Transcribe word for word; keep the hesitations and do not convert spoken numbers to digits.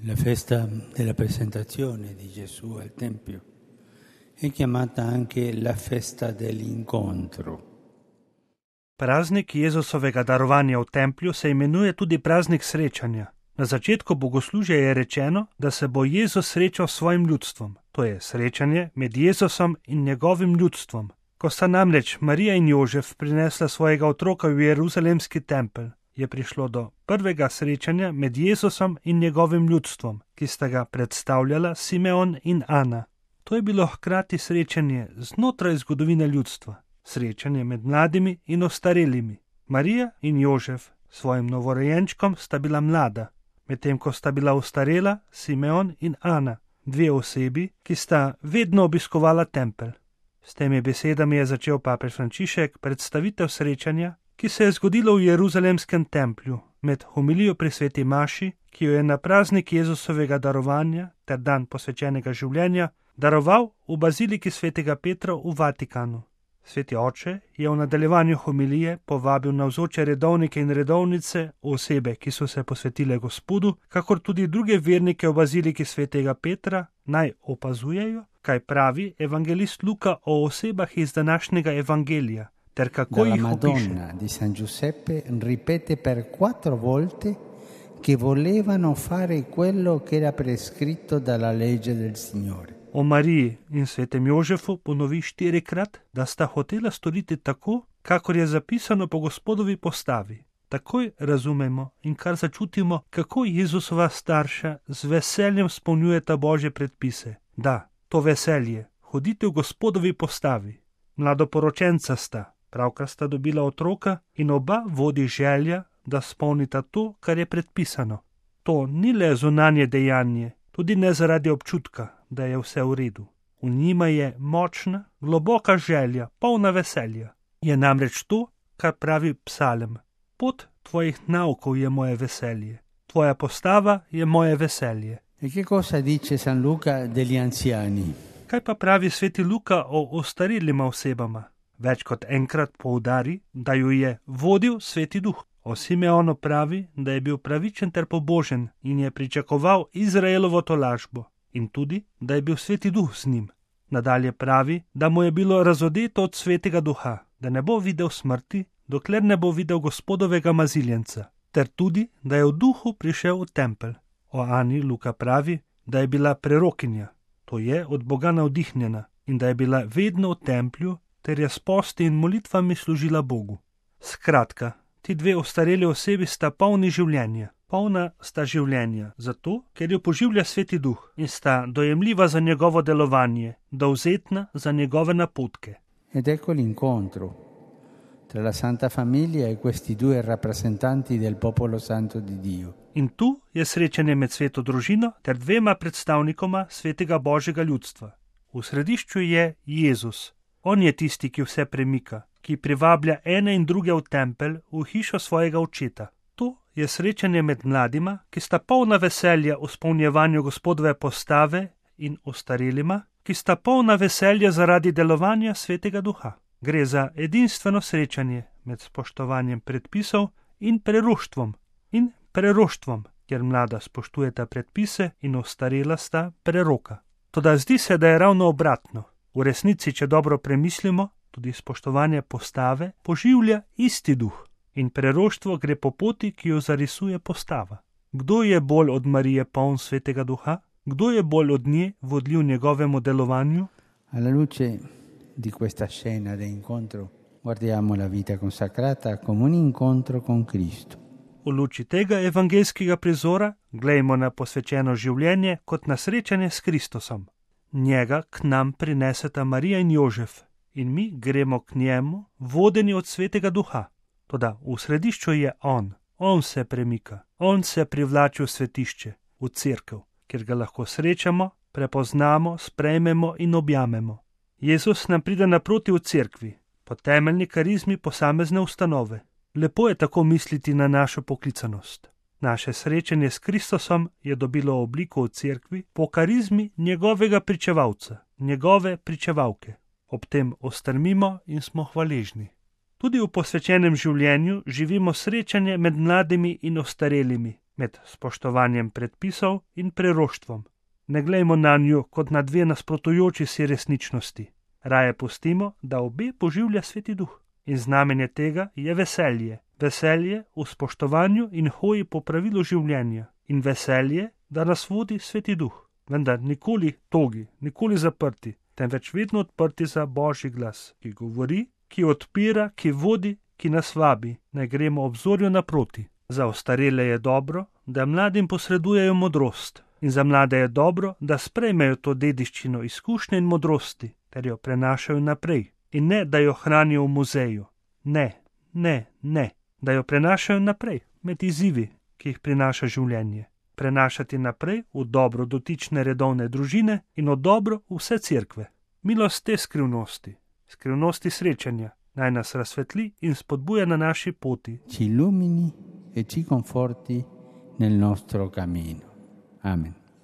La festa della presentazione di Gesù al Tempio è chiamata anche la festa dell'incontro. Praznik Jezusovega darovanja v templju se imenuje tudi praznik srečanja. Na začetku bogoslužja je rečeno, da se bo Jezus srečal s svojim ljudstvom. To je srečanje med Jezusom in njegovim ljudstvom. Ko sta namreč Marija in Jožef prinesla svojega otroka v Jeruzalemski tempelj, je prišlo do prvega srečanja med Jezusom in njegovim ljudstvom, ki sta ga predstavljala Simeon in Ana. To je bilo hkrati srečanje znotraj zgodovine ljudstva, srečanje med mladimi in ostarelimi. Marija in Jožef s svojim novorojenčkom sta bila mlada, medtem ko sta bila ostarela Simeon in Ana, dve osebi, ki sta vedno obiskovala tempelj. S temi besedami je začel papež Frančišek predstavitev srečanja, ki se je zgodilo v Jeruzalemskem templju med homilijo pri sveti maši, ki jo je na praznik Jezusovega darovanja ter dan posvečenega življenja daroval v baziliki svetega Petra v Vatikanu. Sveti oče je v nadaljevanju homilije povabil navzoče redovnike in redovnice, osebe, ki so se posvetile Gospodu, kakor tudi druge vernike v baziliki svetega Petra, naj opazujejo, kaj pravi evangelist Luka o osebah iz današnjega evangelija, ter kako Dalla jih opiše. Madonna di San Giuseppe ripete per quattro volte che volevano fare quello che era prescritto dalla legge del Signore. O Mariji in svetem Jožefu ponovi štirikrat, da sta hotela storiti tako, kakor je zapisano po Gospodovi postavi. Takoj razumemo in kar začutimo, kako Jezusova starša z veseljem spolnjujeta Božje predpise. Da, to veselje, hodite v Gospodovi postavi. Mladoporočenca sta, pravkar sta dobila otroka in oba vodi želja, da spolnita to, kar je predpisano. To ni le zunanje dejanje, tudi ne zaradi občutka, da je vse v redu. V njima je močna, globoka želja, polna veselja. Je namreč to, kar pravi psalem. Pot tvojih naukov je moje veselje. Tvoja postava je moje veselje. E che cosa dice San Luca degli anziani? Kaj pa pravi sveti Luka o ostarilima osebama? Več kot enkrat poudari, da ju je vodil sveti duh. O Simeonu pravi, da je bil pravičen ter pobožen in je pričakoval Izraelovo tolažbo. In tudi, da je bil sveti duh z njim. Nadalje pravi, da mu je bilo razodeto od svetega duha, da ne bo videl smrti, dokler ne bo videl Gospodovega maziljenca, ter tudi, da je v duhu prišel v tempelj. O Ani Luka pravi, da je bila prerokinja, to je od Boga navdihnjena, in da je bila vedno v templju, ter je s posti in molitvami služila Bogu. Skratka, ti dve ostareli osebi sta polni življenja. Polna sta življenja, zato, ker jo poživlja sveti duh in sta dojemljiva za njegovo delovanje, dovzetna za njegove napotke. Ed ecco l'incontro tra la Santa Famiglia e questi due rappresentanti del popolo santo di Dio. In tu je srečanje med sveto družino ter dvema predstavnikoma svetega Božjega ljudstva. V središču je Jezus. On je tisti, ki vse premika, ki privablja ene in druge v tempelj, v hišo svojega očeta. To je srečanje med mladima, ki sta polna veselja v spolnjevanju Gospodove postave, in ostarelima, ki sta polna veselja zaradi delovanja svetega duha. Gre za edinstveno srečanje med spoštovanjem predpisov in preroštvom. In preroštvom, kjer mlada spoštujeta predpise in ostarela sta preroka. Toda zdi se, da je ravno obratno. V resnici, če dobro premislimo, tudi spoštovanje postave poživlja isti duh. In preroštvo gre po poti, ki jo zarisuje postava. Kdo je bolj od Marije poln svetega duha? Kdo je bolj od nje vodljiv njegovemu delovanju? Alla luce di questa scena di incontro guardiamo la vita consacrata come un incontro con Cristo. V luči tega evangelskega prizora glejmo na posvečeno življenje kot na srečanje s Kristusom. Njega k nam prineseta Marija in Jožef in mi gremo k njemu, vodeni od svetega duha. Toda v središču je on, on se premika, on se privlači v svetišče, v cerkev, kjer ga lahko srečamo, prepoznamo, sprejmemo in objamemo. Jezus nam pride naproti v cerkvi, po temeljni karizmi posamezne ustanove. Lepo je tako misliti na našo poklicanost. Naše srečanje s Kristusom je dobilo obliko v cerkvi po karizmi njegovega pričevalca, njegove pričevalke. Ob tem ostrmimo in smo hvaležni. Tudi v posvečenem življenju živimo srečanje med mladimi in ostarelimi, med spoštovanjem predpisov in preroštvom. Ne glejmo na njo kot na dve nasprotujoči si resničnosti. Raje pustimo, da obe poživlja Sveti Duh. In znamenje tega je veselje. Veselje v spoštovanju in hoji po pravilu življenja. In veselje, da nas vodi Sveti Duh. Vendar nikoli togi, nikoli zaprti, temveč vedno odprti za Božji glas, ki govori, ki odpira, ki vodi, ki nas vabi, naj gremo obzorju naproti. Za ostarele je dobro, da mladim posredujejo modrost. In za mlade je dobro, da sprejmejo to dediščino izkušnje in modrosti, ter jo prenašajo naprej. In ne, da jo hranijo v muzeju. Ne, ne, ne. Da jo prenašajo naprej, med izzivi, ki jih prinaša življenje. Prenašati naprej v dobro dotične redovne družine in v dobro vse cerkve. Milost te skrivnosti, skrivnosti srečanja, naj nas razsvetli in spodbuja na naši poti. Ci illumini e ci conforti nel nostro cammino. Amen.